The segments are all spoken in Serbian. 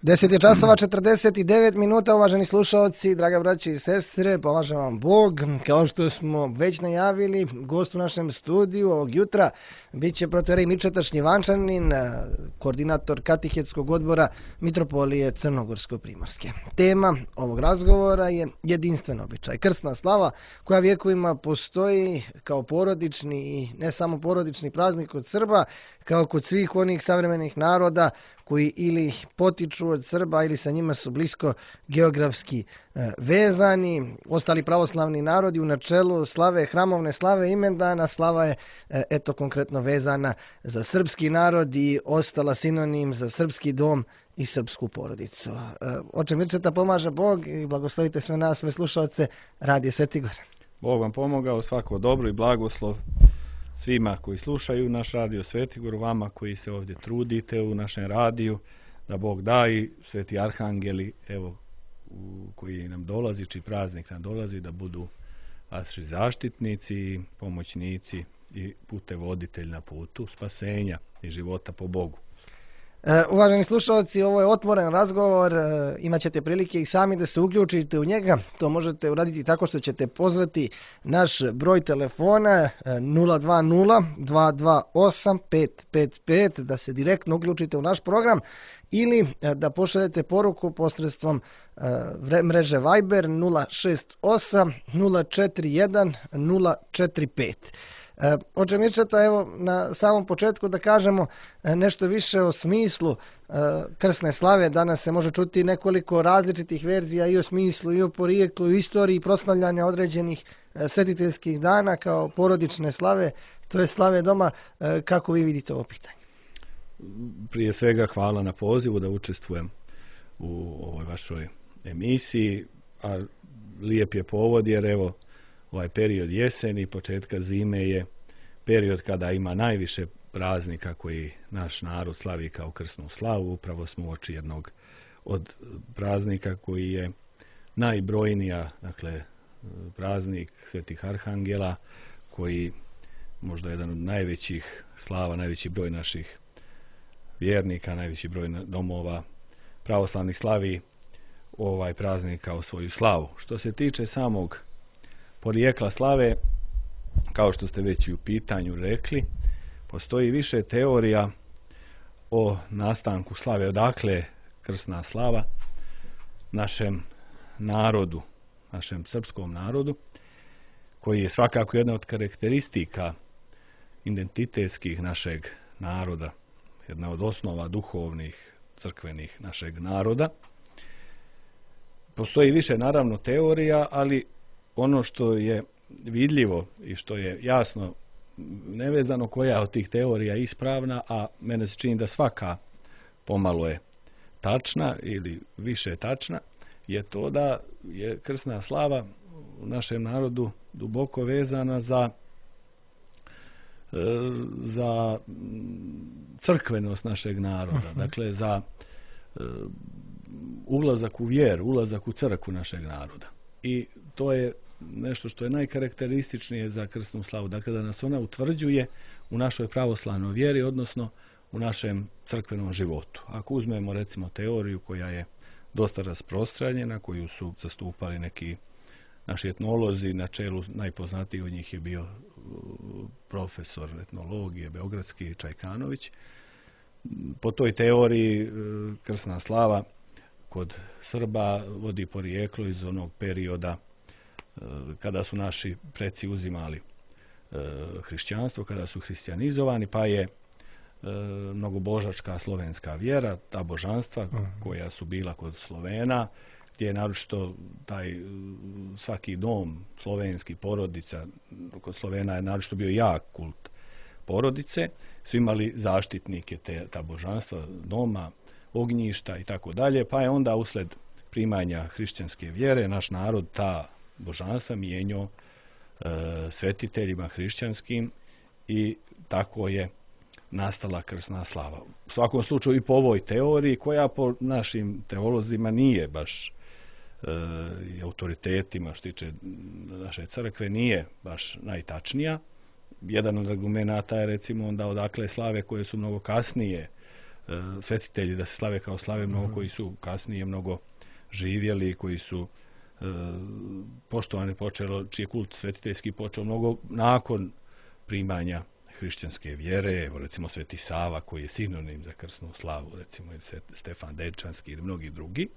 10 je časova 49 minuta, uvaženi slušalci, draga braći i sestre, pomaže vam Bog. Kao što smo već najavili, gost u našem studiju ovog jutra bit će protoijerej Mičeta Šljivančanin, koordinator katehetskog odbora Mitropolije Crnogorsko-primorske. Tema ovog razgovora je jedinstven običaj, krsna slava, koja vjekovima postoji kao porodični i ne samo porodični praznik kod Srba, kao kod svih onih savremenih naroda koji ili potiču od Srba ili sa njima su blisko geografski vezani. Ostali pravoslavni narodi u načelu slave hramovne slave imendana, slava je eto konkretno vezana za srpski narod i ostala sinonim za srpski dom i srpsku porodicu. Oče Mirčeta, pomaže Bog i blagoslovite sve nas, sve slušalce Radio Sveti Gor. Bog vam pomogao, svako dobro i blagoslov svima koji slušaju naš Radio Sveti Gor, vama koji se ovdje trudite u našem radiju, da Bog da i sveti arhangeli, evo, koji nam dolazi, čiji praznik nam dolazi, da budu vaši zaštitnici, pomoćnici i putevoditelj na putu spasenja i života po Bogu. Uvaženi slušalci, ovo je otvoren razgovor, imat ćete prilike i sami da se uključite u njega. To možete uraditi tako što ćete pozvati naš broj telefona 020-228-555 da se direktno uključite u naš program ili da pošaljete poruku posredstvom mreže Viber 068-041-045. Oče Mirčeta, evo na samom početku da kažemo nešto više o smislu krsne slave. Danas se može čuti nekoliko različitih verzija i o smislu, i o porijeklu, i o istoriji i proslavljanja određenih svetiteljskih dana kao porodične slave, to je slave doma. Kako vi vidite ovo pitanje? Prije svega hvala na pozivu da učestvujem u ovoj vašoj emisiji, a lijep je povod jer evo ovaj period jeseni, početka zime je period kada ima najviše praznika koji naš narod slavi kao krsnu slavu. Upravo smo uoči jednog od praznika koji je najbrojnija, dakle praznik svetih arhangela, koji možda jedan od najvećih slava, najveći broj naših vjernika, najveći broj domova pravoslavnih slavi ovaj praznik kao svoju slavu. Što se tiče samog porijekla slave, kao što ste već i u pitanju rekli, postoji više teorija o nastanku slave, odakle krsna slava našem narodu, našem srpskom narodu, koji je svakako jedna od karakteristika identitetskih našeg naroda, jedna od osnova duhovnih, crkvenih našeg naroda. Postoji više naravno teorija, ali ono što je vidljivo i što je jasno nevezano koja od tih teorija je ispravna, a mene se čini da svaka pomalo je tačna ili više tačna, je to da je krsna slava u našem narodu duboko vezana za crkvenost našeg naroda, dakle za ulazak u vjeru, ulazak u crkvu našeg naroda. I to je nešto što je najkarakterističnije za krsnu slavu, dakle da nas ona utvrđuje u našoj pravoslavnoj vjeri, odnosno u našem crkvenom životu. Ako uzmemo recimo teoriju koja je dosta rasprostranjena, koju su zastupali neki naši etnolozi, na čelu najpoznatiji od njih je bio profesor etnologije beogradski Čajkanović. Po toj teoriji krsna slava kod Srba vodi porijeklo iz onog perioda kada su naši preci uzimali hrišćanstvo, kada su hrišćanizovani, pa je mnogobožačka slovenska vjera, ta božanstva koja su bila kod Slovena, gdje je naročito taj svaki dom slovenski, porodica, kod Slovena je naročito bio jak kult porodice, su imali zaštitnike ta božanstva, doma, ognjišta i tako dalje, pa je onda usled primanja hrišćanske vjere naš narod ta božanstva mijenjao svetiteljima hrišćanskim i tako je nastala krsna slava. U svakom slučaju i po ovoj teoriji, koja po našim teolozima nije baš i autoritetima što tiče naše crkve nije baš najtačnija. Jedan od argumenata je recimo onda odakle slave koje su mnogo kasnije svetitelji da se slave kao slave mnogo koji su kasnije mnogo živjeli, koji su poštovani počelo, čiji je kult svetiteljski počeo mnogo nakon primanja hrišćanske vjere, evo recimo Sveti Sava koji je sinonim za krsnu slavu, recimo Stefan Dečanski ili mnogi drugi,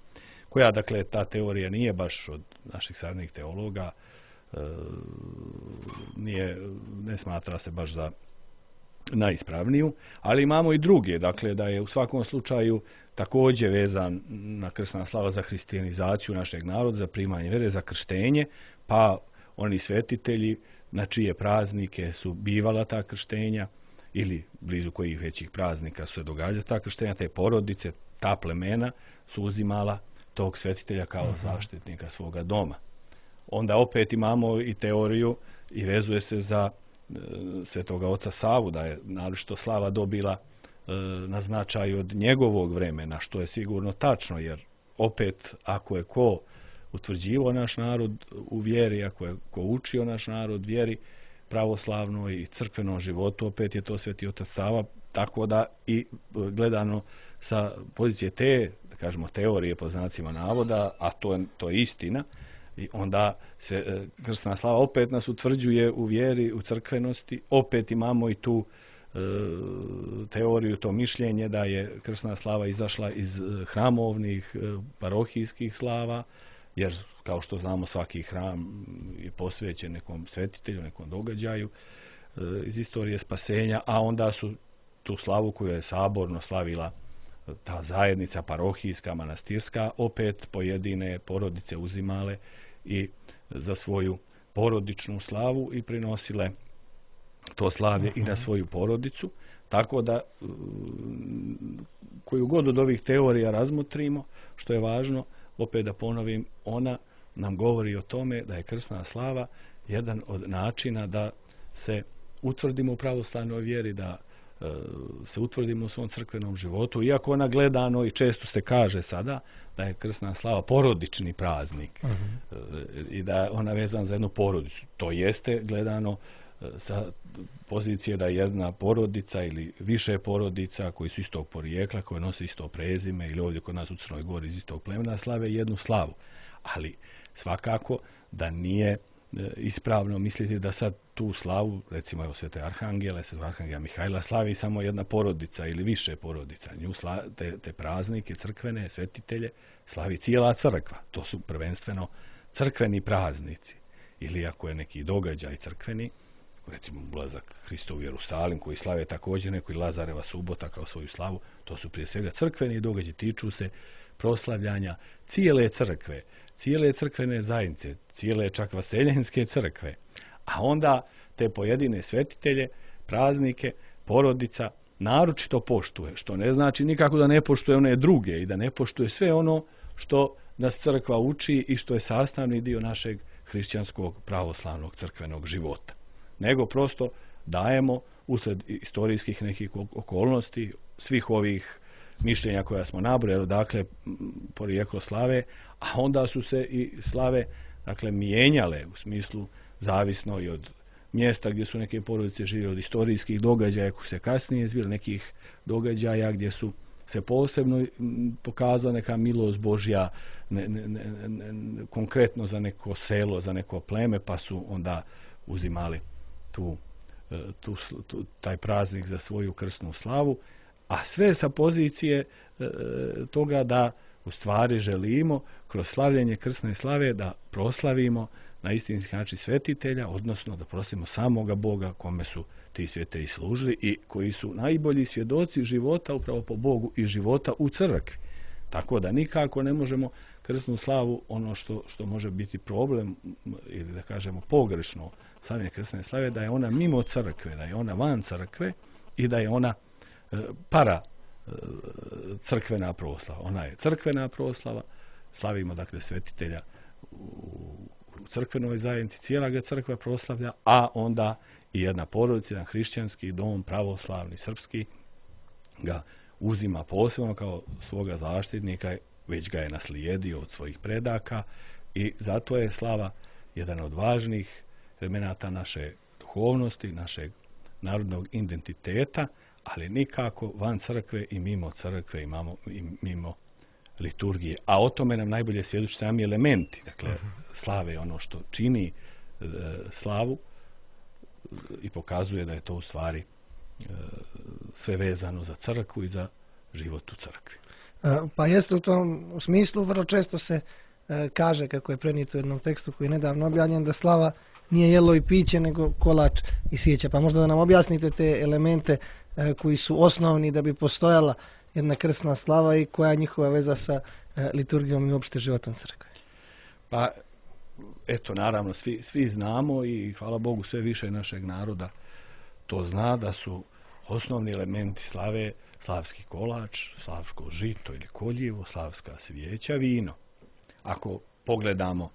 koja dakle ta teorija nije baš od naših savremenih teologa, ne smatra se baš za najispravniju, ali imamo i druge, dakle da je u svakom slučaju također vezan na krsna slava za hrišćanizaciju našeg naroda, za primanje vjere, za krštenje, pa oni svetitelji na čije praznike su bivala ta krštenja ili blizu kojih većih praznika su se događala ta krštenja, te porodice, ta plemena su uzimala tog svetitelja kao zaštitnika svoga doma. Onda opet imamo i teoriju i vezuje se za Svetoga oca Savu, da je naročito slava dobila na značaju od njegovog vremena, što je sigurno tačno, jer opet ako je ko utvrđivao naš narod u vjeri, ako je ko učio naš narod vjeri pravoslavnoj i crkvenom životu, opet je to Sveti otac Sava, tako da i gledano sa pozicije te, da kažemo, teorije po znacima navoda, a to je istina, i onda se krsna slava opet nas utvrđuje u vjeri, u crkvenosti, opet imamo i tu teoriju, to mišljenje da je krsna slava izašla iz hramovnih, parohijskih slava, jer kao što znamo svaki hram je posvećen nekom svetitelju, nekom događaju iz istorije spasenja, a onda su tu slavu koju je saborno slavila ta zajednica parohijska, manastirska, opet pojedine porodice uzimale i za svoju porodičnu slavu i prinosile to slavlje i na svoju porodicu, tako da koju god od ovih teorija razmotrimo, što je važno, opet da ponovim, ona nam govori o tome da je krsna slava jedan od načina da se utvrdimo u pravoslavnoj vjeri, da se utvrdimo u svom crkvenom životu, iako ona gledano i često se kaže sada da je krsna slava porodični praznik i da je ona vezana za jednu porodicu. To jeste gledano sa pozicije da jedna porodica ili više porodica koji su istog porijekla, koji nose isto prezime ili ovdje kod nas u Crnoj Gori iz istog plemena slave jednu slavu. Ali svakako da nije ispravno misliti da sad tu slavu, recimo evo Svete Arhangele, Svetog Arhangela Mihajla slavi samo jedna porodica ili više porodica. Nju te praznike crkvene, svetitelje, slavi cijela crkva. To su prvenstveno crkveni praznici. Ili ako je neki događaj crkveni, recimo ulazak Hristov u Jerusalim, koji slave također neko i Lazareva subota kao svoju slavu, to su prije svega crkveni događaji, tiču se proslavljanja cijele crkve, cijele crkvene zajednice, cijele čak vaseljenske crkve. A onda te pojedine svetitelje, praznike, porodica naročito poštuje, što ne znači nikako da ne poštuje one druge i da ne poštuje sve ono što nas crkva uči i što je sastavni dio našeg hrišćanskog pravoslavnog crkvenog života. Nego prosto dajemo usred istorijskih nekih okolnosti svih ovih mišljenja koja smo nabrojali, dakle porijeklo slave, a onda su se i slave dakle mijenjale u smislu zavisno i od mjesta gdje su neke porodice živjeli, od istorijskih događaja koji se kasnije izvili, nekih događaja gdje su se posebno pokazala neka milost Božja konkretno za neko selo, za neko pleme, pa su onda uzimali taj praznik za svoju krsnu slavu, a sve sa pozicije toga da u stvari želimo kroz slavljenje krsne slave da proslavimo na istinski način svetitelja, odnosno da proslavimo samoga Boga kome su ti svetitelji služili i koji su najbolji svjedoci života upravo po Bogu i života u crkvi. Tako da nikako ne možemo krsnu slavu, ono što može biti problem ili da kažemo pogrešno slavljenje krsne slave, da je ona mimo crkve, da je ona van crkve i da je ona para crkvena proslava. Ona je crkvena proslava, slavimo dakle svetitelja u crkvenoj zajednici, cijela ga crkva proslavlja, a onda i jedna porodica, jedan hrišćanski dom, pravoslavni, srpski, ga uzima posebno kao svoga zaštitnika, već ga je naslijedio od svojih predaka i zato je slava jedan od važnih elemenata naše duhovnosti, našeg narodnog identiteta, ali nikako van crkve i mimo crkve i mimo liturgije. A o tome nam najbolje svjedoče sami elementi. Dakle, slave je ono što čini slavu i pokazuje da je to u stvari sve vezano za crkvu i za život u crkvi. Pa jeste u tom smislu, vrlo često se kaže, kako je prenijeto u jednom tekstu koji je nedavno objavljen, da slava nije jelo i piće, nego kolač i svijeća. Pa možda da nam objasnite te elemente koji su osnovni da bi postojala jedna krsna slava i koja je njihova veza sa liturgijom i uopšte životom crkve. Pa, eto, naravno, svi znamo i hvala Bogu sve više našeg naroda to zna da su osnovni elementi slave slavski kolač, slavsko žito ili koljivo, slavska svijeća, vino. Ako pogledamo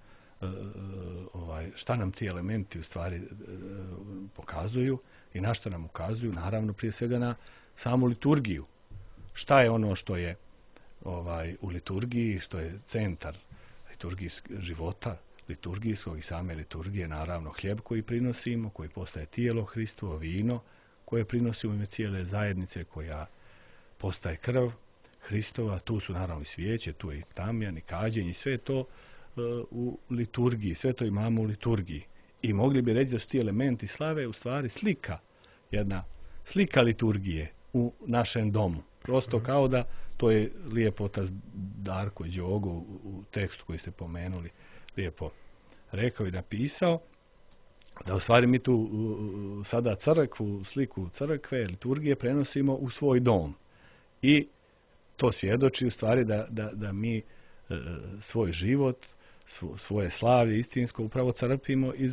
šta nam ti elementi u stvari pokazuju i na što nam ukazuju, naravno prije svega na samu liturgiju. Šta je ono što je u liturgiji, što je centar života liturgijskog i same liturgije, naravno hljeb koji prinosimo, koji postaje tijelo Hristovo, vino koje prinosimo u ime cijele zajednice, koja postaje krv Hristova, tu su naravno i svijeće, tu je i tamjan i kađenje, sve to u liturgiji, sve to imamo u liturgiji. I mogli bi reći da su ti elementi slave u stvari jedna slika liturgije u našem domu. Prosto kao da, to je lijepo otac Darko Đogo u tekstu koji ste pomenuli, lijepo rekao i napisao, da u stvari mi tu sada crkvu, sliku crkve, liturgije prenosimo u svoj dom. I to svjedoči u stvari da mi svoj život, svoje slavlje istinsko upravo crpimo iz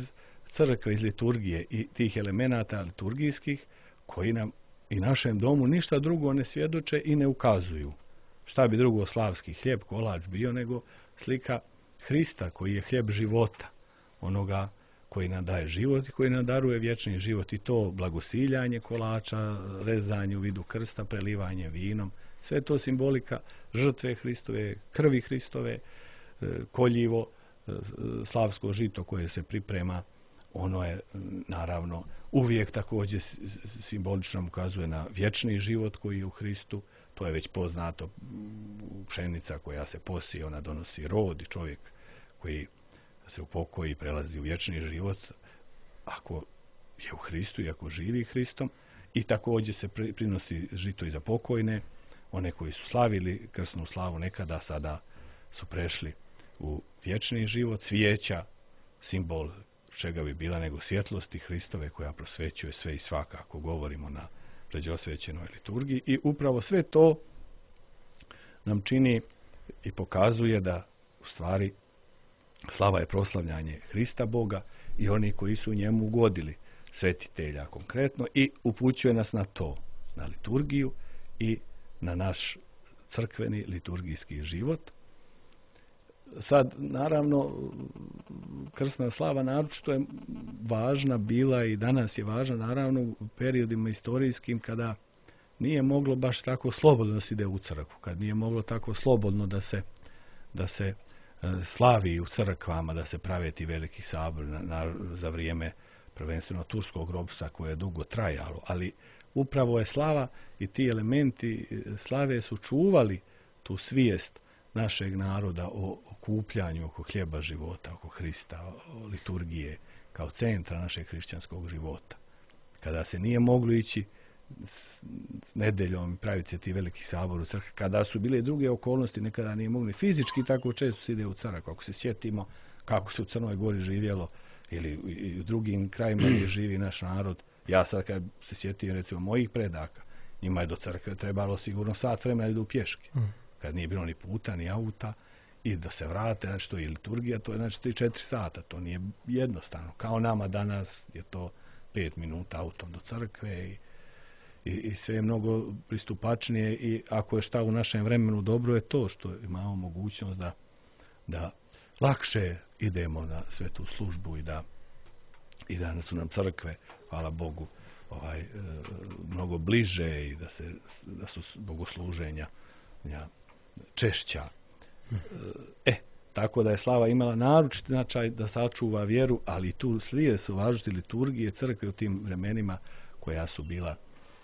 crkve, iz liturgije i tih elemenata liturgijskih koji nam i našem domu ništa drugo ne svjedoče i ne ukazuju. Šta bi drugo slavski hljeb, kolač bio nego slika Hrista koji je hljeb života, onoga koji nam daje život i koji nam daruje vječni život, i to blagosiljanje kolača, rezanje u vidu krsta, prelivanje vinom, sve to simbolika žrtve Hristove, krvi Hristove, koljivo, slavsko žito koje se priprema, ono je naravno uvijek također simbolično ukazuje na vječni život koji je u Hristu. To je već poznato, pšenica koja se posije, ona donosi rod, i čovjek koji se upokoji prelazi u vječni život ako je u Hristu i ako živi Hristom. I također se prinosi žito i za pokojne, one koji su slavili krsnu slavu nekada, sada su prešli u vječni život. Svijeća, simbol čega bi bila nego svjetlosti Hristove koja prosvećuje sve i svaka, ako govorimo na pređosvećenoj liturgiji. I upravo sve to nam čini i pokazuje da u stvari slava je proslavljanje Hrista Boga i oni koji su njemu ugodili, svetitelja konkretno, i upućuje nas na to, na liturgiju i na naš crkveni liturgijski život. Sad, naravno, krsna slava naročito je važna bila i danas je važna, naravno, u periodima istorijskim kada nije moglo baš tako slobodno da se ide u crkvu, kad nije moglo tako slobodno da se slavi u crkvama, da se prave ti veliki sabor za vrijeme prvenstveno turskog ropstva koje je dugo trajalo, ali upravo je slava i ti elementi slave su čuvali tu svijest našeg naroda o okupljanju oko hljeba života, oko Hrista, o liturgije kao centra našeg hrišćanskog života. Kada se nije moglo ići s nedeljom i praviti se ti veliki sabor u crkvi, kada su bile druge okolnosti, nekada nije mogli fizički, tako često se ide u crkvu. Ako se sjetimo kako se u Crnoj Gori živjelo ili u drugim krajima gdje živi naš narod, ja sad kad se sjetim recimo mojih predaka, njima je do crkve trebalo sigurno sat vremena da idu pješke. Kad nije bilo ni puta, ni auta, i da se vrate, znači to je liturgija, to je znači 3-4 sata, to nije jednostavno. Kao nama danas je to 5 minuta autom do crkve i sve je mnogo pristupačnije, i ako je šta u našem vremenu dobro je to što imamo mogućnost da lakše idemo na svetu službu i da su nam crkve, hvala Bogu, mnogo bliže i da su bogosluženja češća. Tako da je slava imala naročiti značaj da sačuva vjeru, ali tu slijede su važnosti liturgije crkve u tim vremenima koja su bila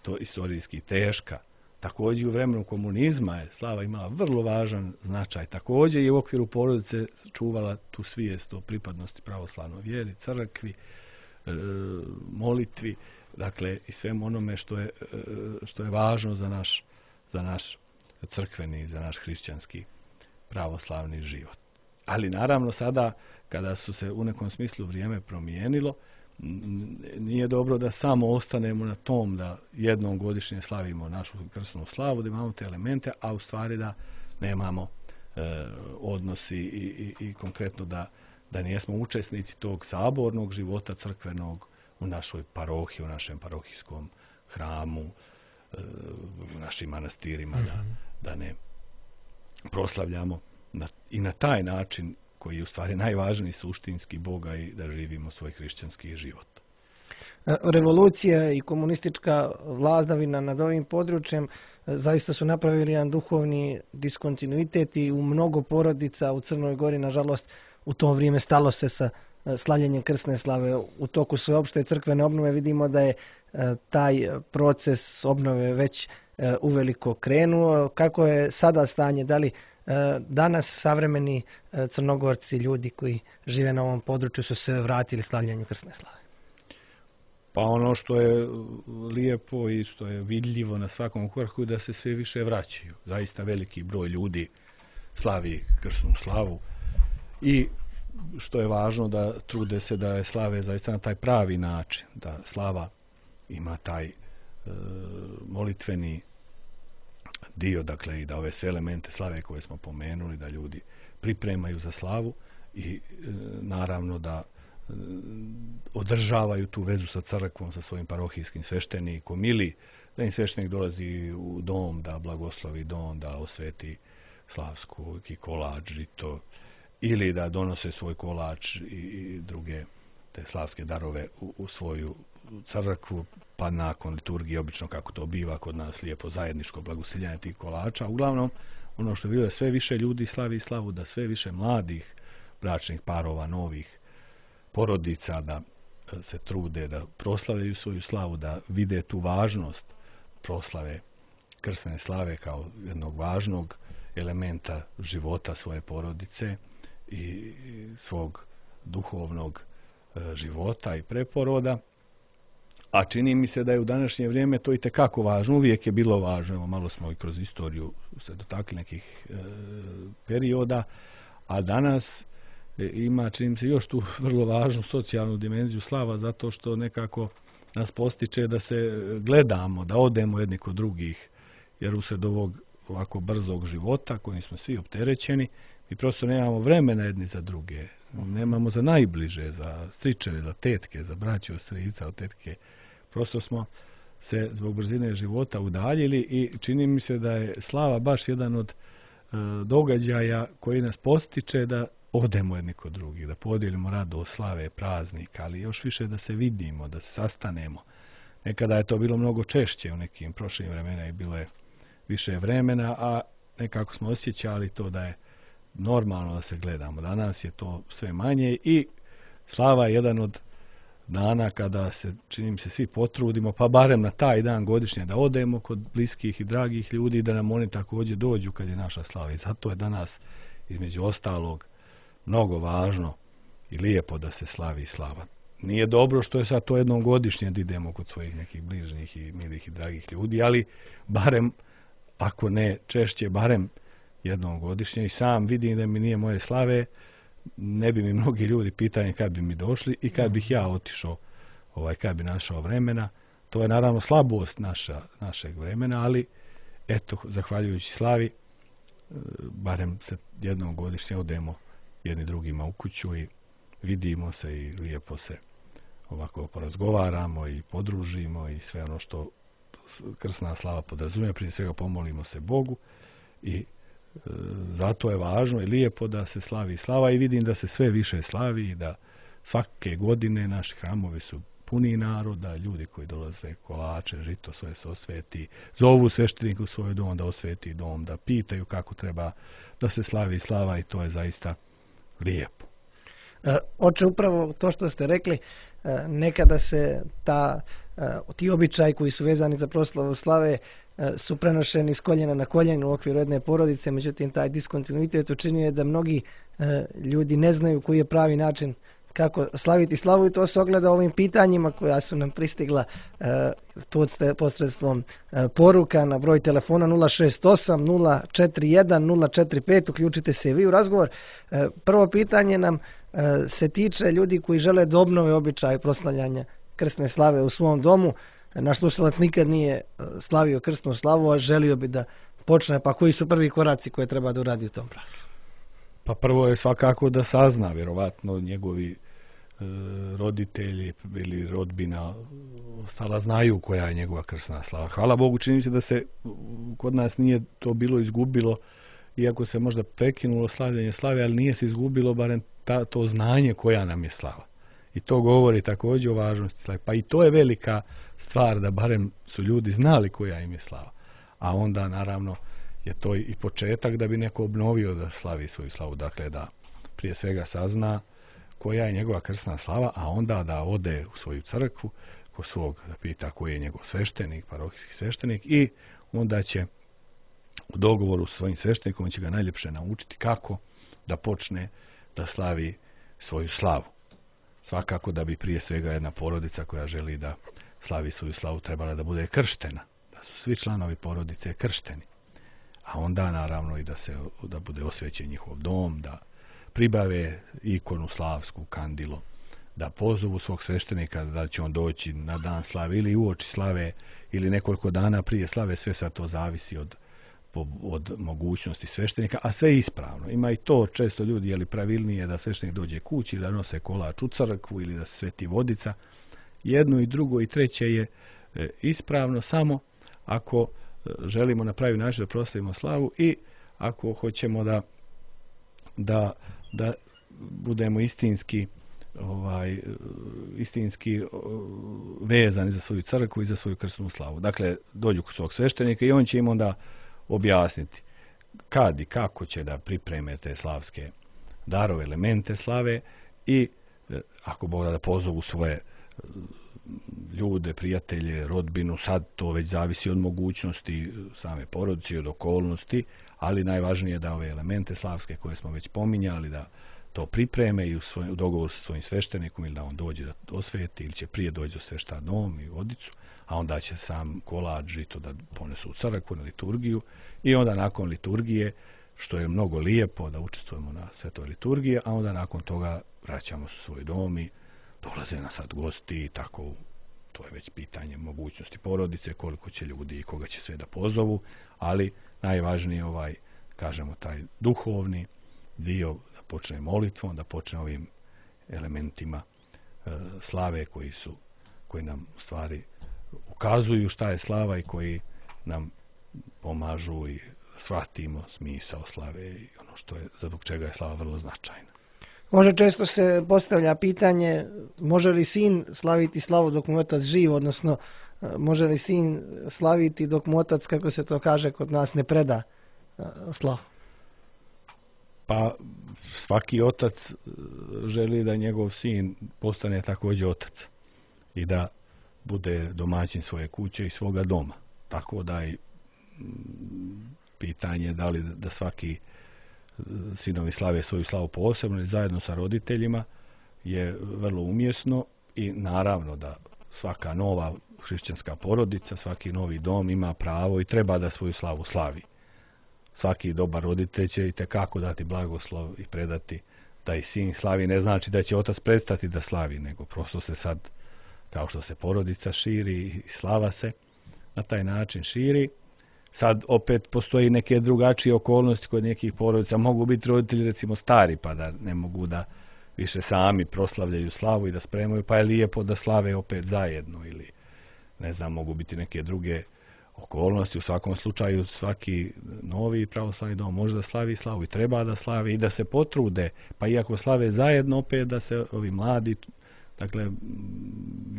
to istorijski teška. Također u vremenu komunizma je slava imala vrlo važan značaj. Također je u okviru porodice čuvala tu svijest o pripadnosti pravoslavnoj vjeri, crkvi, molitvi, dakle i svemu onome što je važno za naš crkveni, za naš hrišćanski pravoslavni život. Ali naravno sada kada su se u nekom smislu vrijeme promijenilo, nije dobro da samo ostanemo na tom da jednom godišnje slavimo našu krsnu slavu, da imamo te elemente, a u stvari da nemamo odnosi i konkretno da nismo učesnici tog sabornog života crkvenog u našoj parohiji, u našem parohijskom hramu, u našim manastirima, da ne proslavljamo i na taj način koji je u stvari najvažniji suštinski Boga i da živimo svoj hrišćanski život. Revolucija i komunistička vladavina nad ovim područjem zaista su napravili jedan duhovni diskontinuitet i u mnogo porodica u Crnoj Gori, nažalost, u to vrijeme stalo se sa slavljenjem krsne slave. U toku sveopšte crkvene obnove vidimo da je taj proces obnove već uveliko krenuo. Kako je sada stanje? Da li danas savremeni Crnogorci, ljudi koji žive na ovom području, su se vratili slavljenju krsne slave? Pa ono što je lijepo i što je vidljivo na svakom koraku da se sve više vraćaju. Zaista veliki broj ljudi slavi krsnu slavu i što je važno da trude se da je slave zaista na taj pravi način, da slava ima taj molitveni dio, dakle i da ove sve elemente slave koje smo pomenuli, da ljudi pripremaju za slavu i naravno da održavaju tu vezu sa crkvom, sa svojim parohijskim sveštenikom ili da im sveštenik dolazi u dom da blagoslovi dom, da osveti slavsku kolač, žito, ili da donose svoj kolač i druge te slavske darove u svoju crkvu, pa nakon liturgije, obično kako to biva kod nas, lijepo zajedničko blagosiljanje tih kolača. Uglavnom, ono što je bilo, sve više ljudi slavi slavu, da sve više mladih bračnih parova, novih porodica, da se trude da proslavljaju svoju slavu, da vide tu važnost proslave krsne slave kao jednog važnog elementa života svoje porodice i svog duhovnog života i preporoda. A čini mi se da je u današnje vrijeme to i tekako važno. Uvijek je bilo važno. Evo, malo smo i kroz istoriju se dotakli nekih perioda, a danas ima, čini mi se, još tu vrlo važnu socijalnu dimenziju slava, zato što nekako nas postiče da se gledamo, da odemo jedni kod drugih, jer usred ovog ovako brzog života kojim smo svi opterećeni, mi prosto nemamo vremena jedni za druge. Nemamo za najbliže, za stričeve, za tetke, za braću, strica, od tetke. Prosto smo se zbog brzine života udaljili i čini mi se da je slava baš jedan od događaja koji nas postiče da odemo jedni kod drugih, da podijelimo radost slave, praznika, ali još više da se vidimo, da se sastanemo. Nekada je to bilo mnogo češće, u nekim prošlim vremenima je bilo više vremena, a nekako smo osjećali to da je normalno da se gledamo. Danas je to sve manje i slava je jedan od dana kada se, čini mi se, svi potrudimo, pa barem na taj dan godišnje da odemo kod bliskih i dragih ljudi i da nam oni također dođu kad je naša slava. I zato je danas, između ostalog, mnogo važno i lijepo da se slavi slava. Nije dobro što je sad to jednom godišnje da idemo kod svojih nekih bližnjih i milih i dragih ljudi, ali barem, ako ne češće, barem jednom godišnje. I sam vidim da mi nije moje slave, ne bi mi mnogi ljudi pitali kad bi mi došli i kad bih ja otišao, kad bi našao vremena. To je naravno slabost našeg vremena, ali eto, zahvaljujući slavi, barem se jednom godišnje odemo jedni drugima u kuću i vidimo se i lijepo se ovako porazgovaramo i podružimo i sve ono što krsna slava podrazumijeva. Prije svega pomolimo se Bogu i zato je važno i lijepo da se slavi slava i vidim da se sve više slavi i da svake godine naši hramovi su puni naroda, ljudi koji dolaze kolače, žito svoje se osveti, zovu svešteniku u svoj dom da osveti dom, da pitaju kako treba da se slavi slava i to je zaista lijepo. Oče, upravo to što ste rekli, nekada se ti običaji koji su vezani za proslavu slave su prenošeni s koljena na koljeno u okviru jedne porodice, međutim taj diskontinuitet učinio je da mnogi ljudi ne znaju koji je pravi način kako slaviti slavu, i to se ogleda ovim pitanjima koja su nam pristigla posredstvom poruka na broj telefona 068 041 045. Uključite se i vi u razgovor. Prvo pitanje nam se tiče ljudi koji žele da obnove običaj proslavljanja krsne slave u svom domu. Naš slušalac nikad nije slavio krsnu slavu, a želio bi da počne, pa koji su prvi koraci koje treba da uradi u tom pravcu? Pa prvo je svakako da sazna, vjerovatno njegovi roditelji ili rodbina ostala znaju koja je njegova krsna slava. Hvala Bogu, čini se da se kod nas nije to bilo izgubilo, iako se možda prekinulo slavljenje slave, ali nije se izgubilo barem to znanje koja nam je slava. I to govori također o važnosti slave. Pa i to je velika stvar da barem su ljudi znali koja im je slava. A onda naravno je to i početak da bi neko obnovio da slavi svoju slavu. Dakle, da prije svega sazna koja je njegova krsna slava, a onda da ode u svoju crkvu, ko svog da pita koji je njegov sveštenik, parohijski sveštenik, i onda će u dogovoru s svojim sveštenikom će ga najljepše naučiti kako da počne da slavi svoju slavu. Svakako da bi prije svega jedna porodica koja želi da slavi svoju slavu trebala da bude krštena, da su svi članovi porodice kršteni, a onda naravno i da bude osvećen njihov dom, da pribave ikonu slavsku, kandilo, da pozovu svog sveštenika da će on doći na dan slave ili uoči slave ili nekoliko dana prije slave, sve sad to zavisi od mogućnosti sveštenika, a sve je ispravno. Ima i to često ljudi, je li pravilnije da sveštenik dođe kući, da nose kolač u crkvu ili da se sveti vodica. Jedno i drugo i treće je ispravno, samo ako želimo na pravi način da proslavimo slavu i ako hoćemo da budemo istinski vezani za svoju crkvu i za svoju krsnu slavu. Dakle, dođu kod svog sveštenika i on će im onda objasniti kad i kako će da pripreme te slavske darove, elemente slave, i ako Bog da pozovu svoje ljude, prijatelje, rodbinu. Sad to već zavisi od mogućnosti same porodice, od okolnosti, ali najvažnije je da ove elemente slavske koje smo već pominjali, da to pripreme i u dogovoru sa svojim sveštenikom, ili da on dođe da osveti, ili će prije doći do svešta dom i vodicu, a onda će sam kolač, žito da ponesu u crkvu na liturgiju, i onda nakon liturgije, što je mnogo lijepo da učestvujemo na svetoj liturgiji, a onda nakon toga vraćamo se u svoj dom i dolaze nas sad gosti i tako. To je već pitanje mogućnosti porodice, koliko će ljudi i koga će sve da pozovu, ali najvažnije kažemo, taj duhovni dio, da počne molitvom, da počne ovim elementima slave koji nam u stvari ukazuju šta je slava i koji nam pomažu i shvatimo smisao slave i ono što je, zbog čega je slava vrlo značajna. Može često se postavlja pitanje, može li sin slaviti slavu dok mu otac živ, odnosno može li sin slaviti dok mu otac, kako se to kaže kod nas, ne preda slavu? Pa svaki otac želi da njegov sin postane također otac i da bude domaćin svoje kuće i svoga doma. Tako da je pitanje da li da svaki sinovi slave svoju slavu posebno ili zajedno sa roditeljima je vrlo umjesno, i naravno da svaka nova hrišćanska porodica, svaki novi dom ima pravo i treba da svoju slavu slavi. Svaki dobar roditelj će itekako dati blagoslov i predati da i sin slavi. Ne znači da će otac prestati da slavi, nego prosto se sad, kao što se porodica širi i slava se na taj način širi. Sad opet postoji neke drugačije okolnosti kod nekih porodica. Mogu biti roditelji recimo stari, pa da ne mogu da više sami proslavljaju slavu i da spremaju, pa je lijepo da slave opet zajedno, ili ne znam, mogu biti neke druge okolnosti. U svakom slučaju svaki novi pravoslavni dom može da slavi slavu i treba da slavi i da se potrude, pa iako slave zajedno, opet da se ovi mladi, dakle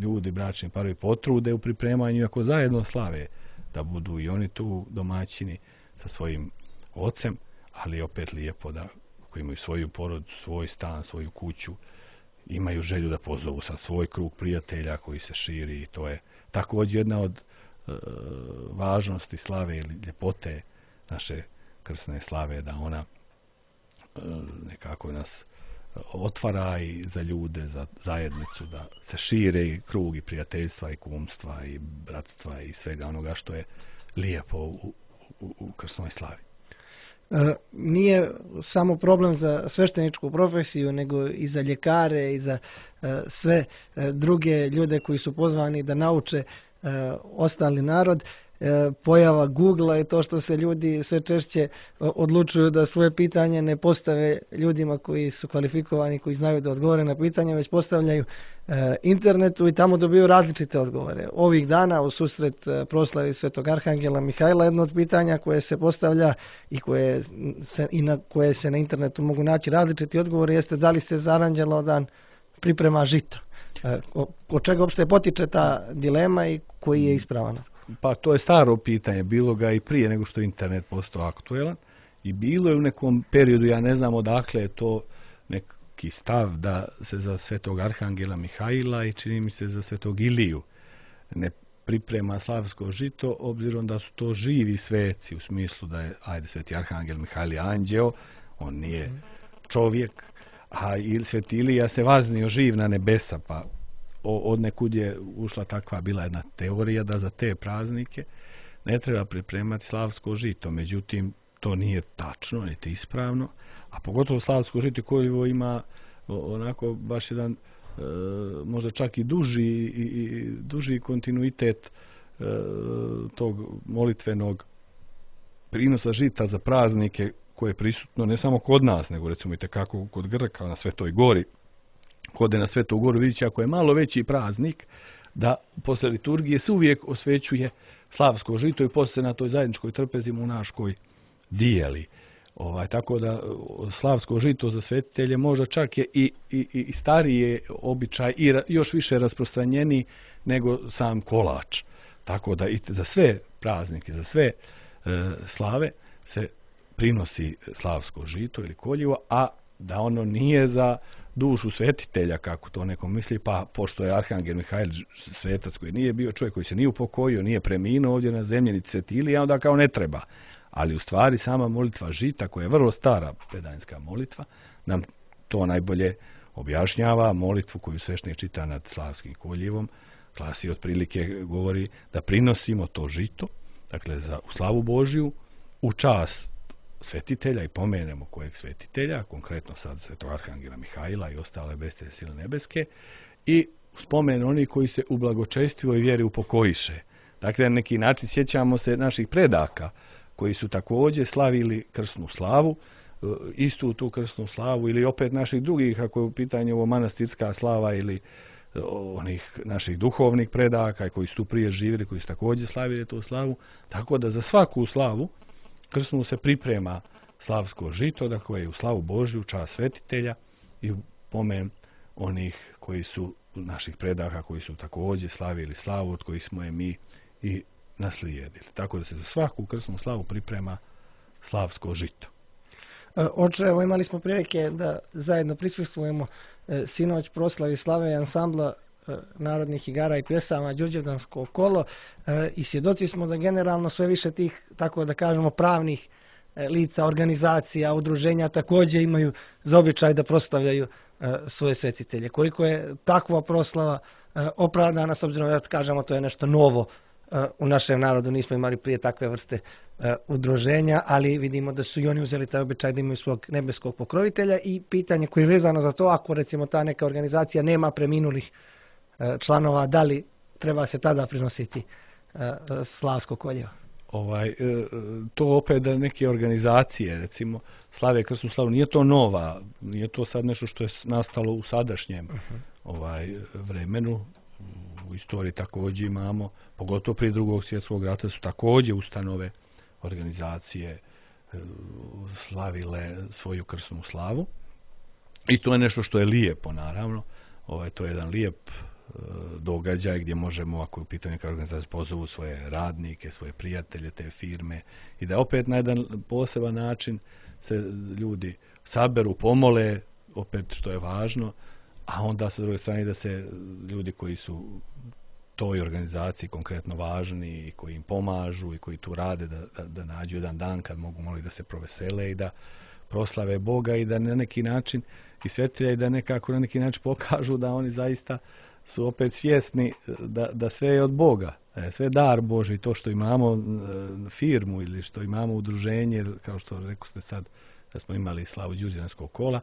ljudi, bračni parovi, potrude u pripremanju, ako zajedno slave, da budu i oni tu domaćini sa svojim ocem, ali opet lijepo da koji imaju svoju porodicu, svoj stan, svoju kuću imaju želju da pozovu sa svoj krug prijatelja koji se širi i to je također jedna od važnosti slave ili ljepote naše krsne slave, da ona nekako nas otvara i za ljude, za zajednicu, da se šire i krug i prijateljstva i kumstva i bratstva i svega onoga što je lijepo u krsnoj slavi. Nije samo problem za svešteničku profesiju, nego i za ljekare i za sve druge ljude koji su pozvani da nauče ostali narod. Pojava Google i to što se ljudi sve češće odlučuju da svoje pitanje ne postave ljudima koji su kvalifikovani, koji znaju da odgovore na pitanje, već postavljaju internetu i tamo dobiju različite odgovore. Ovih dana u susret proslavi Svetog Arhangela Mihajla jedno od pitanja koje se postavlja i na koje se na internetu mogu naći različiti odgovori jeste da li se za Aranđelodan priprema žito. Od čega uopšte potiče ta dilema i koji je ispravan? Pa to je staro pitanje, bilo ga i prije nego što je internet postao aktuelan i bilo je u nekom periodu, ja ne znam odakle je to neki stav da se za Svetog Arhangela Mihajla i čini mi se za Svetog Iliju ne priprema slavsko žito, obzirom da su to živi sveci, u smislu da je, Sveti Arhangel Mihajl je anđeo, on nije čovjek, a Sveti Ilija se vaznio živ na nebesa, pa od nekud je ušla takva bila jedna teorija da za te praznike ne treba pripremati slavsko žito. Međutim, to nije tačno, niti ispravno, a pogotovo slavsko žito koje ima onako baš jedan možda čak i duži kontinuitet tog molitvenog prinosa žita za praznike koje je prisutno ne samo kod nas, nego recimo i tekako kod Grka na Svetoj gori. Kod je na Svetu goru, vidjet će ako je malo veći praznik, da posle liturgije se uvijek osvećuje slavsko žito i posle na toj zajedničkoj trpezi monaškoj dijeli. Tako da slavsko žito za svetitelje možda čak je i starije običaj i još više rasprostranjeni nego sam kolač. Tako da i za sve praznike, za sve slave se prinosi slavsko žito ili koljivo, a da ono nije za dušu svetitelja, kako to neko misli, pa pošto je Arhangel Mihajl svetac koji nije bio čovjek, koji se nije upokojio, nije preminuo ovdje na zemlji, niti Sveti Ilija, onda kao ne treba. Ali u stvari sama molitva žita, koja je vrlo stara pedanjska molitva, nam to najbolje objašnjava. Molitvu koju sveštenik čita nad slavskim koljivom, glasi otprilike govori da prinosimo to žito, dakle za slavu Božju, u čas svetitelja i pomenemo kojeg svetitelja, konkretno sad Svetog Arhangela Mihajla i ostale bestelje sile nebeske, i spomen oni koji se u blagočestivoj vjeri upokojiše. Dakle, na neki način sjećamo se naših predaka koji su također slavili krsnu slavu, istu tu krsnu slavu, ili opet naših drugih, ako je u pitanju ovo manastirska slava, ili onih naših duhovnih predaka koji su tu prije živjeli, koji su također slavili tu slavu. Tako da za svaku slavu krsnu se priprema slavsko žito, dakle je u slavu Božju, čast svetitelja i u pomen onih koji su naših predaka, koji su također slavili slavu, od kojih smo je mi i naslijedili. Tako da se za svaku krsnu slavu priprema slavsko žito. Oče, evo imali smo prilike da zajedno prisustvujemo sinoć proslavi slave ansambla narodnih igara i pjesama Đurđevdansko kolo i svjedoci smo da generalno sve više tih, tako da kažemo, pravnih lica, organizacija, udruženja također imaju za običaj da proslavljaju svoje svetitelje. Koliko je takva proslava opravdana, s obzirom da kažemo to je nešto novo u našem narodu, nismo imali prije takve vrste udruženja, ali vidimo da su i oni uzeli taj običaj da imaju svog nebeskog pokrovitelja i pitanje koje je vezano za to, ako recimo ta neka organizacija nema preminulih članova, da li treba se tada prinositi slavsko koljevo? To opet da neke organizacije, recimo, slave krsnu slavu, nije to nova, nije to sad nešto što je nastalo u sadašnjem vremenu. U istoriji također imamo, pogotovo prije Drugog svjetskog rata su također ustanove, organizacije slavile svoju krsnu slavu. I to je nešto što je lijepo, naravno. To je jedan lijep događaj gdje možemo, ako je u pitanju neka organizacija, pozovu svoje radnike, svoje prijatelje, te firme, i da opet na jedan poseban način se ljudi saberu, pomole, opet što je važno, a onda sa druge strane da se ljudi koji su toj organizaciji konkretno važni i koji im pomažu i koji tu rade da nađu jedan dan kad mogu da se provesele i da proslave Boga i da na neki način i svetlja i da nekako na neki način pokažu da oni zaista su opet svjesni da sve je od Boga, sve dar Boži, to što imamo firmu ili što imamo udruženje, kao što rekao ste sad da smo imali slavu Đurđevanskog kola,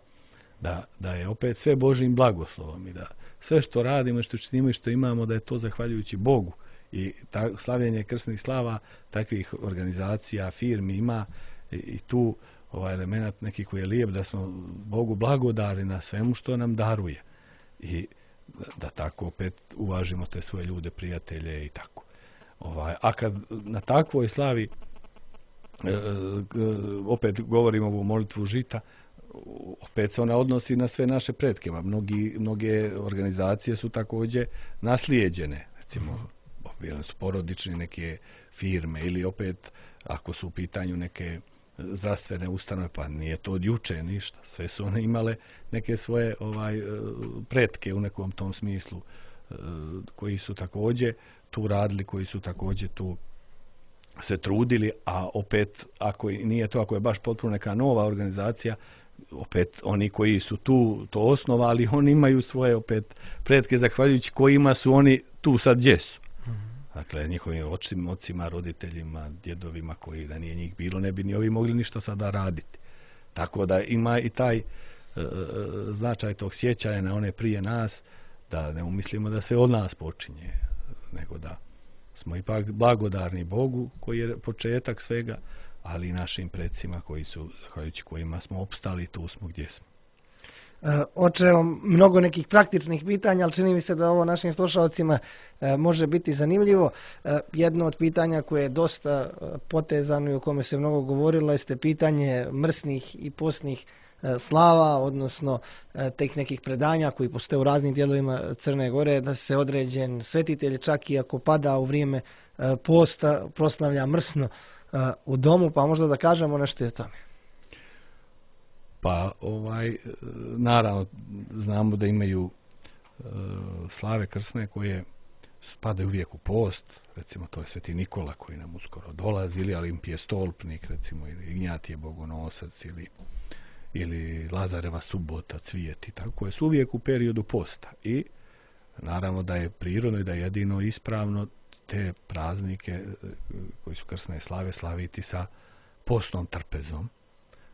da je opet sve Božjim blagoslovom i da sve što radimo, što činimo i što imamo, da je to zahvaljujući Bogu. I slavljenje krsnih slava takvih organizacija, firmi ima i tu ovaj element neki koji je lijep, da smo Bogu blagodari na svemu što nam daruje. I da tako opet uvažimo te svoje ljude, prijatelje i tako. A kad na takvoj slavi opet govorimo ovu molitvu žita, opet se ona odnosi na sve naše pretke. Mnoge organizacije su također naslijeđene, recimo su porodične neke firme ili opet ako su u pitanju neke zdravstvene ustanove, pa nije to od juče ništa. Sve su one imale neke svoje pretke u nekom tom smislu koji su također tu radili, koji su također tu se trudili, a opet ako nije to, ako je baš potpuno neka nova organizacija, opet oni koji su tu to osnovali, oni imaju svoje opet pretke zahvaljujući kojima su oni tu sad gdje su. Dakle, njihovim ocima, roditeljima, djedovima koji da nije njih bilo, ne bi ni ovi mogli ništa sada raditi. Tako da ima i taj značaj tog sjećanja na one prije nas, da ne umislimo da se od nas počinje, nego da smo ipak blagodarni Bogu koji je početak svega, ali i našim predsima koji su, zahvaljujući kojima smo opstali, tu smo gdje smo. Oče, mnogo nekih praktičnih pitanja, ali čini mi se da ovo našim slušalcima može biti zanimljivo. Jedno od pitanja koje je dosta potezano i o kome se mnogo govorilo jeste pitanje mrsnih i postnih slava, odnosno teh nekih predanja koji postoje u raznim dijelovima Crne Gore, da se određen svetitelj čak i ako pada u vrijeme posta proslavlja mrsno u domu, pa možda da kažemo nešto o tome. Pa naravno znamo da imaju slave krsne koje spadaju uvijek u post, recimo to je Sveti Nikola koji nam uskoro dolazi, ili Olimpije Stolpnik, recimo, ili Ignjatije Bogonosac, ili Lazareva subota, cvijet i tako, koje su uvijek u periodu posta. I naravno da je prirodno i da je jedino ispravno te praznike koji su krsne slave slaviti sa postnom trpezom.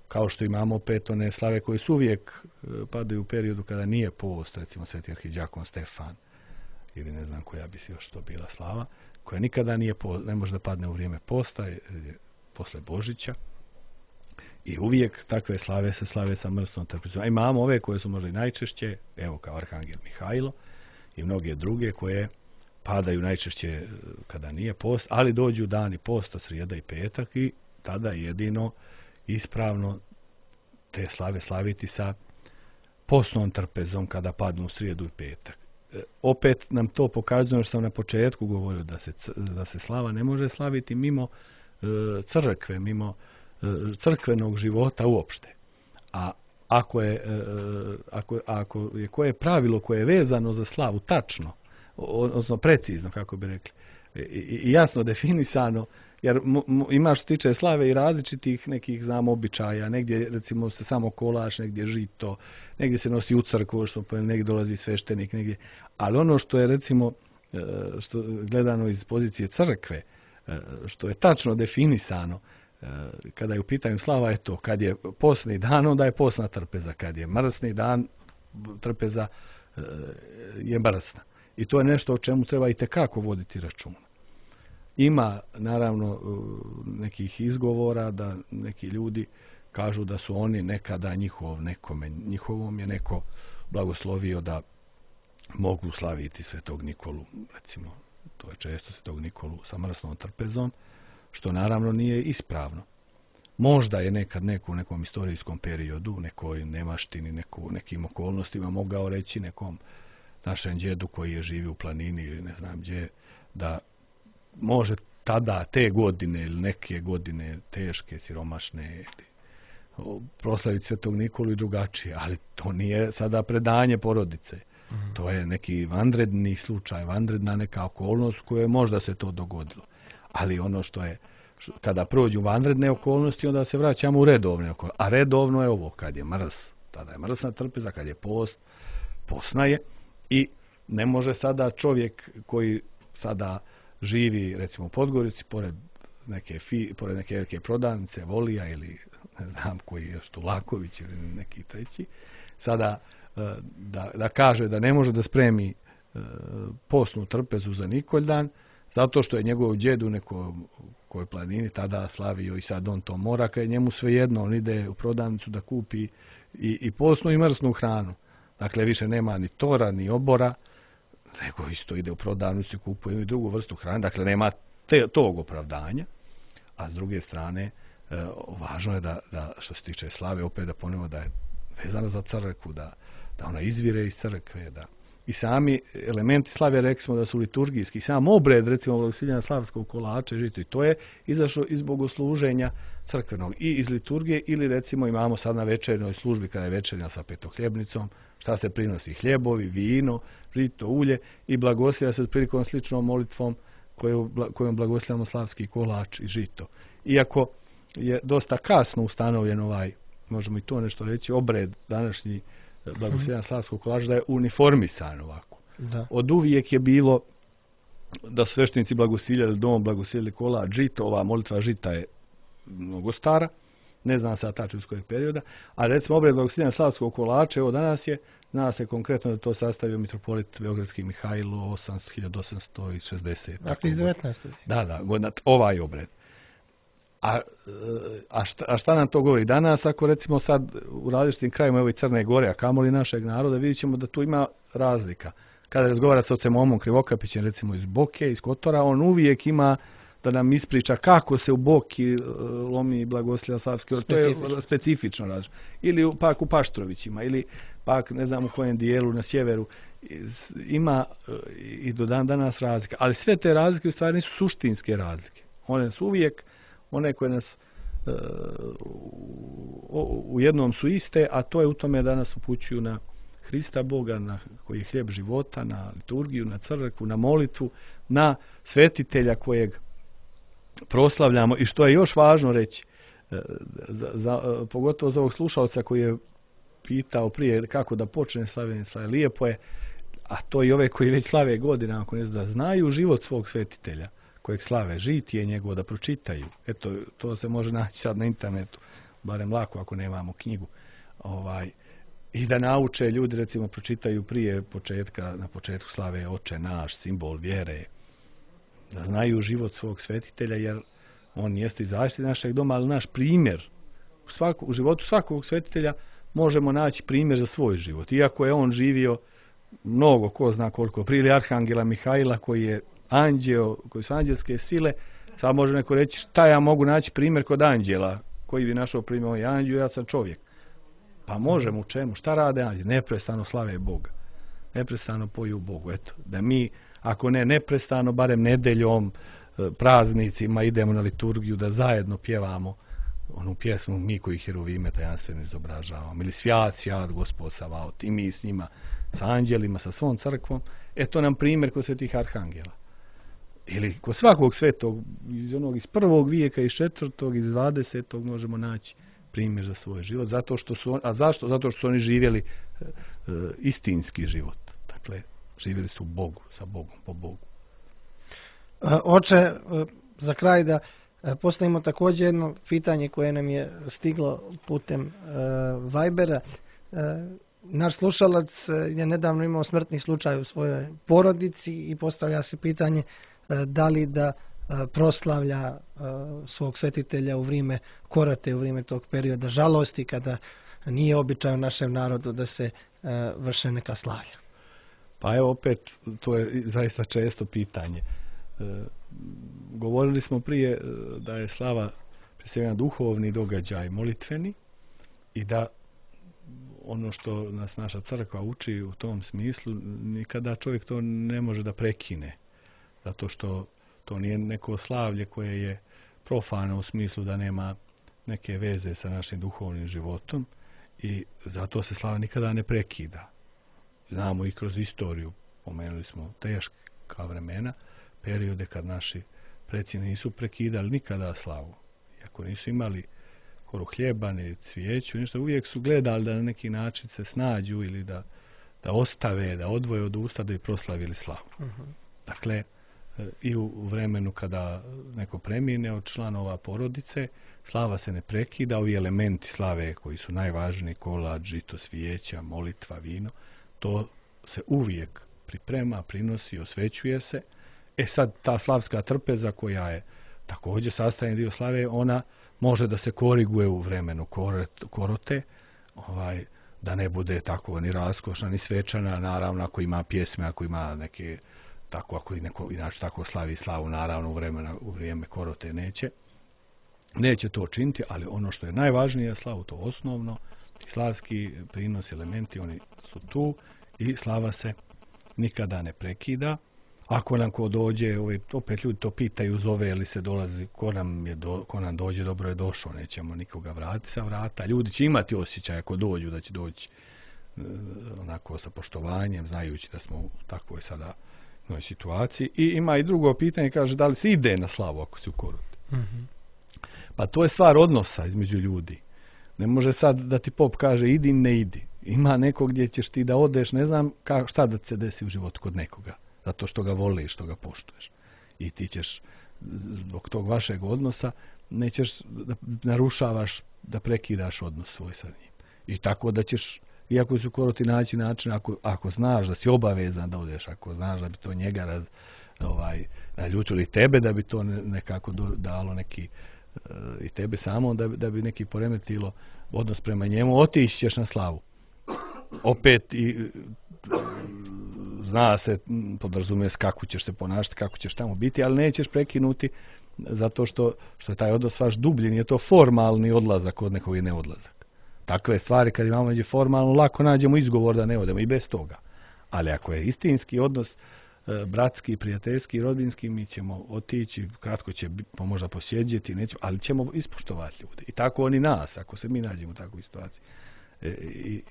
Kao što imamo opet one slave koje su uvijek padaju u periodu kada nije post, recimo Sveti arhidjakon Stefan, ili ne znam koja bi si još to bila slava, koja nikada ne može da padne u vrijeme posta, posle Božića. I uvijek takve slave se slave sa mrsnom trpezom. A imamo ove koje su možda i najčešće, evo kao Arhangel Mihajlo i mnoge druge koje padaju najčešće kada nije post, ali dođu dani posta, srijeda i petak i tada jedino ispravno te slave slaviti sa postnom trpezom kada padnu u srijedu i petak. Opet nam to pokazuje što sam na početku govorio da se slava ne može slaviti mimo crkve, mimo crkvenog života uopšte. A ako je koje pravilo koje je vezano za slavu tačno, odnosno precizno, kako bi rekli, i jasno definisano, jer ima što tiče slave i različitih nekih, znamo, običaja, negdje recimo se samo kolač, negdje žito, negdje se nosi u crkvu, negdje dolazi sveštenik, negdje. Ali ono što je recimo što gledano iz pozicije crkve, što je tačno definisano, kada je u pitanju slava je to, kad je postni dan, onda je postna trpeza, kad je mrsni dan, trpeza je mrsna. I to je nešto o čemu treba i tekako voditi računa. Ima naravno nekih izgovora da neki ljudi kažu da su oni nekada njihovom je neko blagoslovio da mogu slaviti Svetog Nikolu, recimo, to je često Svetog Nikolu sa mrsnom trpezom, što naravno nije ispravno. Možda je nekad neko u nekom istorijskom periodu, u nekoj nemaštini, nekim okolnostima mogao reći nekom našem djedu koji je živio u planini ili ne znam gdje, da može tada te godine ili neke godine teške, siromašne, proslaviti Svetog Nikolu i drugačije, ali to nije sada predanje porodice. To je neki vanredni slučaj, vanredna neka okolnost koje možda se to dogodilo. Ali ono što je, kada prođu vanredne okolnosti, onda se vraćamo u redovne okolnosti. A redovno je ovo, kad je mrs, tada je mrsna trpeza, kad je post, postna je. I ne može sada čovjek koji sada živi, recimo u Podgorici, pored neke prodavnice, Volija ili ne znam koji je Štulaković ili neki treći, sada da kaže da ne može da spremi postnu trpezu za Nikoldan, zato što je njegov djed u nekoj planini tada slavio i sad on to mora, kad je njemu svejedno, on ide u prodavnicu da kupi i postnu i mrsnu hranu. Dakle, više nema ni tora, ni obora, nego isto ide u prodavnicu i kupuje i drugu vrstu hrane. Dakle, nema tog opravdanja. A s druge strane, važno je da što se tiče slave, opet da ponovimo da je vezano za crkvu, da ona izvire iz crkve, da i sami elementi slave, rekli smo da su liturgijski, sam obred, recimo, blagoslovljenja slavskog kolača i žito, i to je izašlo iz bogosluženja crkvenog i iz liturgije, ili recimo imamo sad na večernjoj službi, kada je večernja sa petohljebnicom, šta se prinosi, hljebovi, vino, žito, ulje, i blagoslovlja se prilikom sličnom molitvom kojom blagoslovljamo slavski kolač i žito. Iako je dosta kasno ustanovljen možemo i to nešto reći, obred današnji blagoslovljenja slavskog kolača, da je uniformisan ovako. Da. Od uvijek je bilo da sveštenici blagoslovljali dom, blagoslovljali kolač, žito, ova molitva žita je mnogo stara, ne znam sad tačno iz kojeg perioda, a recimo obred blagoslovljenja slavskog kolača, evo danas je, zna se konkretno da to sastavio mitropolit Beogradski Mihajlo 1860. Dakle, iz 19. Da, godina, ovaj obred. A šta nam to govori danas, ako recimo sad u različitim krajima evo i Crne Gore, a kamoli našeg naroda, vidjet ćemo da tu ima razlika. Kada razgovara s ocem Omom Krivokapićem, recimo iz Boke, iz Kotora, on uvijek ima da nam ispriča kako se u Boki lomi blagoslovlja slavski, to je specifično različno. Ili pak u Paštrovićima, ili pak ne znam u kojem dijelu na sjeveru, ima i do dan danas razlika. Ali sve te razlike u stvari nisu suštinske razlike. One su uvijek one koje nas u jednom su iste, a to je u tome da nas upućuju na Hrista Boga, koji je hljeb života, na liturgiju, na crkvu, na molitvu, na svetitelja kojeg proslavljamo. I što je još važno reći, pogotovo za ovog slušalca koji je pitao prije kako da počne slavljenje slave, lijepo je, a to i ove koji već slave godinama, ako ne da znaju život svog svetitelja kojeg slave, žitije njegovo, da pročitaju. Eto, to se može naći sad na internetu, barem lako ako nemamo knjigu. I da nauče ljudi, recimo, pročitaju prije početka, na početku slave Oče naš, simbol vjere, da znaju život svog svetitelja, jer on jeste i zaštiti našeg doma, ali naš primjer u životu svakog svetitelja možemo naći primjer za svoj život. Iako je on živio mnogo, ko zna koliko, prije Arhangela Mihajla koji je anđeo, koji su anđelske sile, sad može neko reći šta ja mogu naći primjer kod anđela, koji bi našao primjer, on je anđeo, ja sam čovjek. Pa možemo u čemu? Šta rade anđeli? Neprestano slave Boga. Neprestano poju Bogu. Eto, da mi, ako ne neprestano, barem nedeljom, praznicima idemo na liturgiju, da zajedno pjevamo onu pjesmu mi koji herovime tajanstveno izobražavamo. Ili svjat, svjat, Gospod Savaot. I mi s njima, sa anđelima, sa svom crkvom. Eto nam primjer kod svetih arhangela. Ili kod svakog svetog, iz onog iz 1. vijeka, iz 4. iz 20. možemo naći primjer za svoj život. A zašto? Zato što su oni živjeli istinski život. Dakle, živjeli su u Bogu, sa Bogom, po Bogu. Oče, za kraj da postavimo također jedno pitanje koje nam je stiglo putem Vibera. Naš slušalac je nedavno imao smrtni slučaj u svojoj porodici i postavlja se pitanje da li da proslavlja svog svetitelja u vrijeme korate, u vrijeme tog perioda žalosti, kada nije običaj u našem narodu da se vrše neka slavlja. Pa evo opet, to je zaista često pitanje. Govorili smo prije da je slava prije svega duhovni događaj, molitveni, i da ono što nas naša crkva uči u tom smislu, nikada čovjek to ne može da prekine, zato što to nije neko slavlje koje je profano u smislu da nema neke veze sa našim duhovnim životom, i zato se slava nikada ne prekida. znamo i kroz istoriju, pomenuli smo teška vremena, periode kad naši preci nisu prekidali nikada slavu. Iako nisu imali koru hljeba, ni cvijeću, ništa, uvijek su gledali da na neki način se snađu ili da ostave, da odvoje od usta da bi proslavili slavu. Dakle, i u vremenu kada neko premine od članova porodice, slava se ne prekida, ovi elementi slave koji su najvažniji, kolač, žito, svijeća, molitva, vino, to se uvijek priprema, prinosi, osvećuje se. Sad ta slavska trpeza koja je također sastavni dio slave, ona može da se koriguje u vremenu korote, da ne bude tako ni raskošna, ni svečana, naravno ako ima pjesme, ako ima neke, tako ako i neko inače tako slavi slavu, naravno u vrijeme korote neće to činiti, ali ono što je najvažnije slavu, to osnovno, slavski prinos, elementi, oni su tu i slava se nikada ne prekida. Ako nam ko dođe, opet ljudi to pitaju, zove ili se dolazi, ko nam dođe, dobro je došao, nećemo nikoga vratiti sa vrata. Ljudi će imati osjećaj ako dođu, da će doći onako sa poštovanjem, znajući da smo u takvoj sada situaciji. I ima i drugo pitanje, kaže, da li se ide na slavu ako si u koroti? Pa to je stvar odnosa između ljudi. Ne može sad da ti pop kaže idi, ne idi. Ima neko gdje ćeš ti da odeš, ne znam šta da se desi u životu kod nekoga. Zato što ga voliš, što ga poštuješ. I ti ćeš zbog tog vašeg odnosa nećeš da narušavaš, da prekidaš odnos svoj sa njim. I tako da ćeš, iako su koroti naći način, ako znaš da si obavezan da odeš, ako znaš da bi to njega naljutili tebe, da bi to nekako dalo neki i tebe samo, da bi neki poremetilo odnos prema njemu, otići ćeš na slavu. Opet i zna se, podrazumije se kako ćeš se ponašati, kako ćeš tamo biti, ali nećeš prekinuti zato što je taj odnos vaš dublji, nije to formalni odlazak od nekog i neodlazak. Takve stvari kad imamo među formalno, lako nađemo izgovor da ne odemo i bez toga. Ali ako je istinski odnos, bratski, prijateljski, rodbinski, mi ćemo otići, kratko će možda posjeđeti, ali ćemo ispoštovati ljude. I tako oni nas, ako se mi nađemo u takvoj situaciji.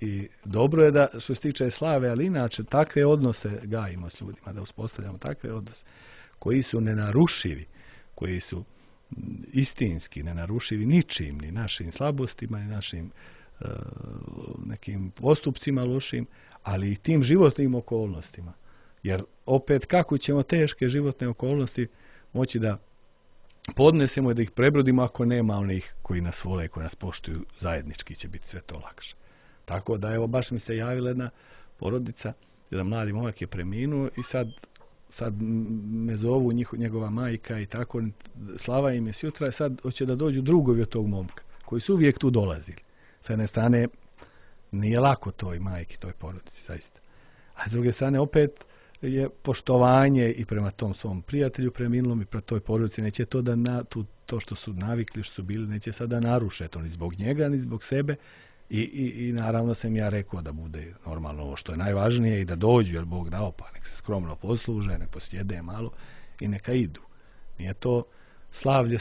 I dobro je da što se tiče slave, ali inače takve odnose gajimo s ljudima, da uspostavljamo takve odnose koji su nenarušivi, koji su istinski, nenarušivi ničim, ni našim slabostima, ni našim nekim postupcima lošim, ali i tim životnim okolnostima. Jer opet kako ćemo teške životne okolnosti moći da podnesemo i da ih prebrodimo ako nema onih koji nas vole i koji nas poštuju, zajednički će biti sve to lakše. Tako da evo baš mi se javila jedna porodica, jedan mladi momak je preminuo i sad me zovu njegova majka i tako, slava im je sutra i sad hoće da dođu drugovi od tog momka koji su uvijek tu dolazili. S jedne strane nije lako toj majki, toj porodici, zaista. A s druge strane opet je poštovanje i prema tom svom prijatelju preminulom i prema toj porodici, neće to to što su navikli, što su bili, neće sada naruše to ni zbog njega, ni zbog sebe i naravno sam ja rekao da bude normalno ovo što je najvažnije i da dođu, jer Bog dao, pa nek se skromno posluže, nek posjede malo i neka idu. Nije to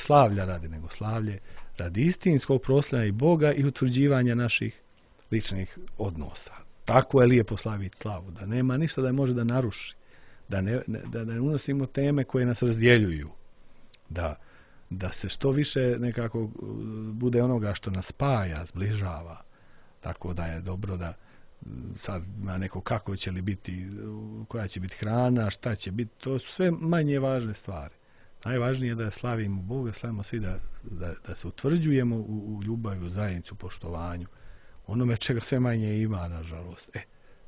slavlja radi, nego slavlje radi istinskog proslavljanja i Boga i utvrđivanja naših ličnih odnosa. Tako je lijepo slaviti slavu, da nema ništa da je može da naruši, da ne unosimo teme koje nas razdjeljuju, da se što više nekako bude onoga što nas spaja, zbližava, tako da je dobro da sad ima neko kako će li biti, koja će biti hrana, šta će biti, to su sve manje važne stvari. Najvažnije je da slavimo Boga, slavimo svi da se utvrđujemo u ljubavi, u zajednicu, poštovanju, onome čega sve manje ima, nažalost.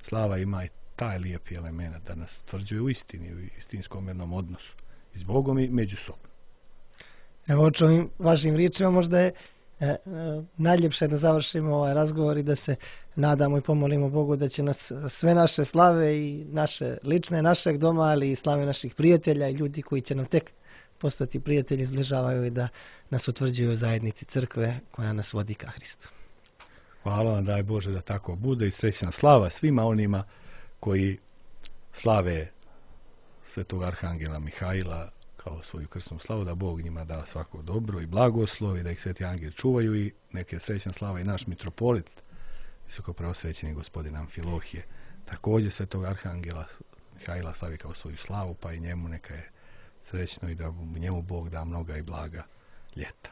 Slava ima i taj lijepi element da nas utvrđuje u istini, u istinskom jednom odnosu i s Bogom i međusobno. Evo, ovim vašim riječima možda je najljepše da završimo ovaj razgovor i da se nadamo i pomolimo Bogu da će nas sve naše slave i naše lične, našeg doma, ali i slave naših prijatelja i ljudi koji će nam tek postati prijatelji, zbližavaju i da nas utvrđuju u zajednici crkve koja nas vodi ka Hristu. Hvala vam, daj Bože da tako bude i srećna slava svima onima koji slave Svetog Arhangela Mihaila kao svoju krsnu slavu, da Bog njima da svako dobro i blagoslov i da ih Sveti Angeli čuvaju i neke srećna slava i naš mitropolit, visoko preosvećeni gospodin Amfilohije, također svetog arhangela Mihajla slavi kao svoju slavu, pa i njemu neka je srećno i da njemu Bog da mnoga i blaga ljeta.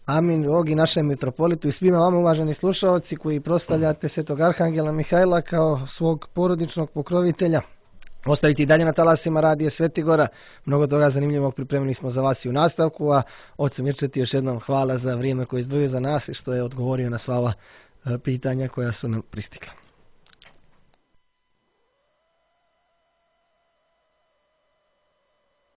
Amin, Bog i našem mitropolitu i svima vama uvaženi slušaoci koji proslavljate svetog arhangela Mihajla kao svog porodičnog pokrovitelja. Ostavite i dalje na talasima radije Svetigora. Mnogo toga zanimljivog pripremili smo za vas i u nastavku, a ocu Mirčeti još jednom hvala za vrijeme koje izdvojio za nas i što je odgovorio na sva ova pitanja koja su nam pristigla.